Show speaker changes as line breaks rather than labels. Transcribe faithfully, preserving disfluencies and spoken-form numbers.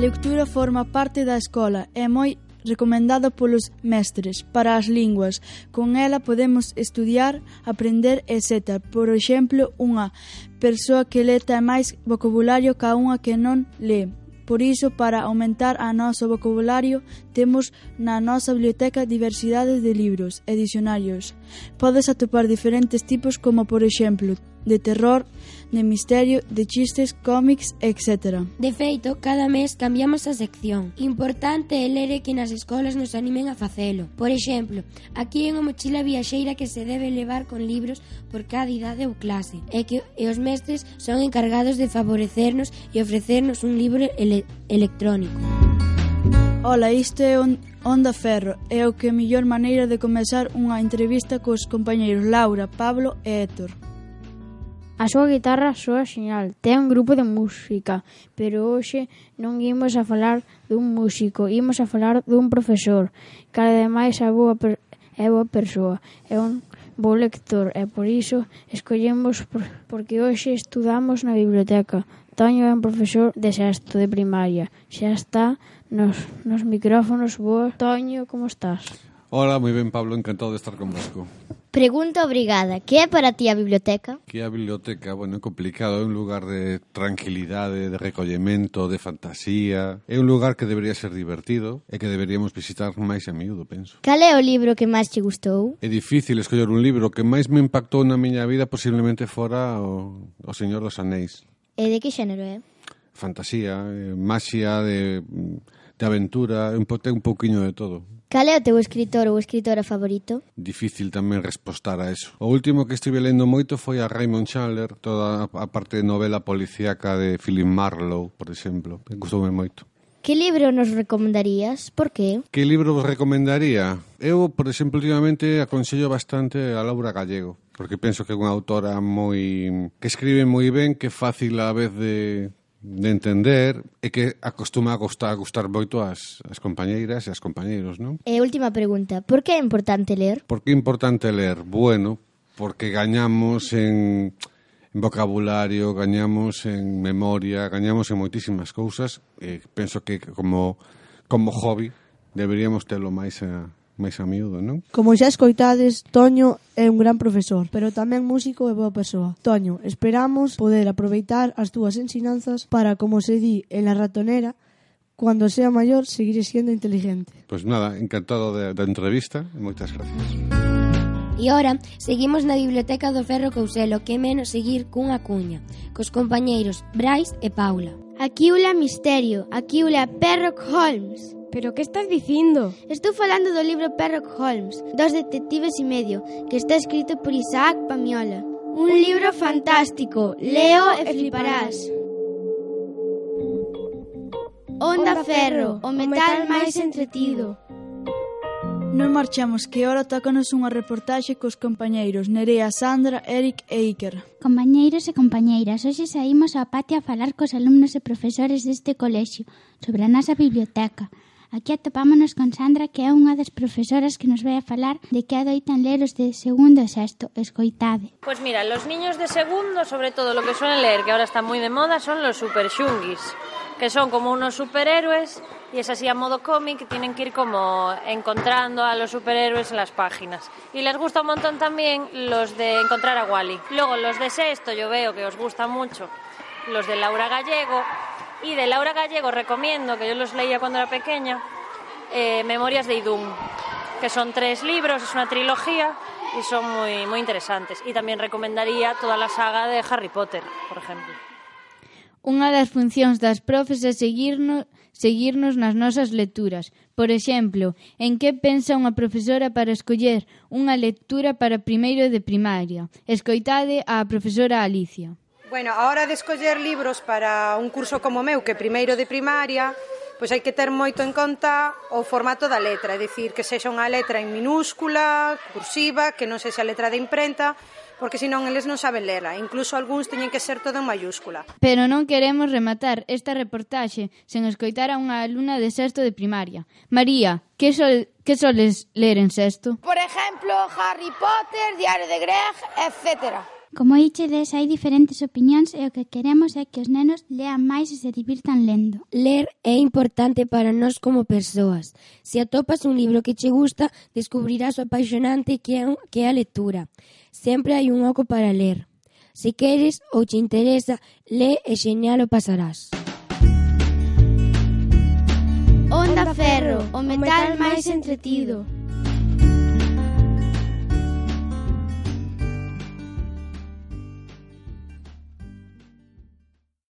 lectura forma parte da escola e moi recomendado polos mestres para as linguas. Con ela podemos estudiar, aprender, etcétera. Por exemplo, unha persoa que lê ten máis vocabulario ca unha que non lê. Por iso, para aumentar a noso vocabulario, temos na nosa biblioteca diversidade de libros e dicionarios. Podes atopar diferentes tipos como, por exemplo, de terror, de misterio, de chistes, cómics, etcétera.
De feito, cada mes cambiamos a sección. Importante é ler e que nas escolas nos animen a facelo. Por exemplo, aquí hai unha mochila viaxeira que se debe levar con libros por cada idade ou clase, e que e os mestres son encargados de favorecernos e ofrecernos un libro ele- electrónico.
Ola, isto é on, Onda Ferro, é o que mellor maneira de comezar unha entrevista cos compañeiros Laura, Pablo e Héctor.
A súa guitarra soa xeñal, ten un grupo de música, pero hoxe non imos a falar dun músico, imos a falar dun profesor, que ademais é boa, per- é boa persoa, é un bo lector, e por iso escollemos por, porque hoxe estudamos na biblioteca. Toño é un profesor de sexto de primaria, xa está nos, nos micrófonos. Boa, Toño, como estás?
Hola, moi ben, Pablo, encantado de estar convosco.
Pregunta obrigada, que é para ti a biblioteca?
Que a biblioteca, bueno, é complicado, é un lugar de tranquilidade, de recollemento, de fantasía. É un lugar que debería ser divertido e que deberíamos visitar máis a miúdo, penso.
Cal é o libro que máis te gustou?
É difícil escoller un libro. O que máis me impactou na miña vida posiblemente fora o, o Señor dos Anéis.
E de que xénero é?
Fantasía, eh, maxia, de, de aventura, un, po, ten un pouquiño de todo.
Cal é o teu escritor ou escritora favorito?
Difícil tamén respostar a eso. O último que estive lendo moito foi a Raymond Chandler, toda a parte de novela policíaca de Philip Marlowe, por exemplo. Gustoume moito.
Que libro nos recomendarías? Por qué?
Que libro vos recomendaría? Eu, por exemplo, últimamente aconsello bastante a Laura Gallego, porque penso que é unha autora moi que escribe moi ben, que é fácil a vez de de entender e que acostuma a gustar, a gustar moito as, as compañeiras e as compañeiros, non?
E última pregunta, por que é importante ler?
Por que é importante ler? Bueno, porque gañamos en, en vocabulario, gañamos en memoria, gañamos en moitísimas cousas, e penso que como, como hobby deberíamos telo máis a máis a miúdo, non?
Como xa escoitades, Toño é un gran profesor, pero tamén músico e boa persoa. Toño, esperamos poder aproveitar as túas ensinanzas para, como se di en La Ratonera, cuando sea maior, seguir siendo inteligente.
Pois nada, encantado da entrevista e moitas gracias.
E ora, seguimos na Biblioteca do Ferro Couselo, que é menos seguir cunha cuña, cos compañeiros Brais e Paula.
Aquí ula Misterio, aquí ula Sherlock Holmes.
Pero que estás dicindo?
Estou falando do libro Sherlock Holmes, dos detectives e medio, que está escrito por Isaac Pamiola. Un libro fantástico, leo e fliparás. Onda Ferro, o metal máis entretido.
Non marchamos, que ora tócanos unha reportaxe cos compañeiros Nerea, Sandra, Eric e Iker.
Compañeiros e compañeiras, hoxe saímos á patio a falar cos alumnos e profesores deste colexio sobre a nosa biblioteca. Aquí atopámonos con Sandra, que é unha das profesoras que nos vai a falar de que adoitan ler os de segundo e sexto. Escoitade.
Pues mira, los niños de segundo, sobre todo lo que suelen leer, que ahora está muy de moda, son los super shungis, que son como unos superhéroes. Y es así a modo cómic, que tienen que ir como encontrando a los superhéroes en las páginas. Y les gusta un montón también los de encontrar a Wally. Luego los de sexto yo veo que os gusta mucho los de Laura Gallego. Y de Laura Gallego recomiendo, que yo los leía cuando era pequeña, eh, Memorias de Idún, que son tres libros, es una trilogía y son muy, muy interesantes. Y también recomendaría toda la saga de Harry Potter, por ejemplo.
Unha das funcións das profes é seguirnos, seguirnos nas nosas lecturas. Por exemplo, en que pensa unha profesora para escoller unha lectura para primeiro de primaria? Escoitade á profesora Alicia.
Bueno, a hora de escoller libros para un curso como meu, que primeiro de primaria, pois hai que ter moito en conta o formato da letra, é dicir, que sexa unha letra en minúscula, cursiva, que non sexa letra de imprenta, porque senón eles non saben lela, incluso algúns teñen que ser todo en mayúscula.
Pero non queremos rematar esta reportaxe sen escoitar a unha alumna de sexto de primaria. María, que, sol, que soles ler en sexto?
Por exemplo, Harry Potter, Diario de Greg, etcétera.
Como ichedes, hai diferentes opinións e o que queremos é que os nenos lean máis e se divirtan lendo.
Ler é importante para nós como persoas. Se atopas un libro que che gusta, descubrirás o apaixonante que é, que é a lectura. Sempre hai un oco para ler. Se queres ou te interesa, lé e xeñal o pasarás.
Onda Ferro, o metal máis entretido.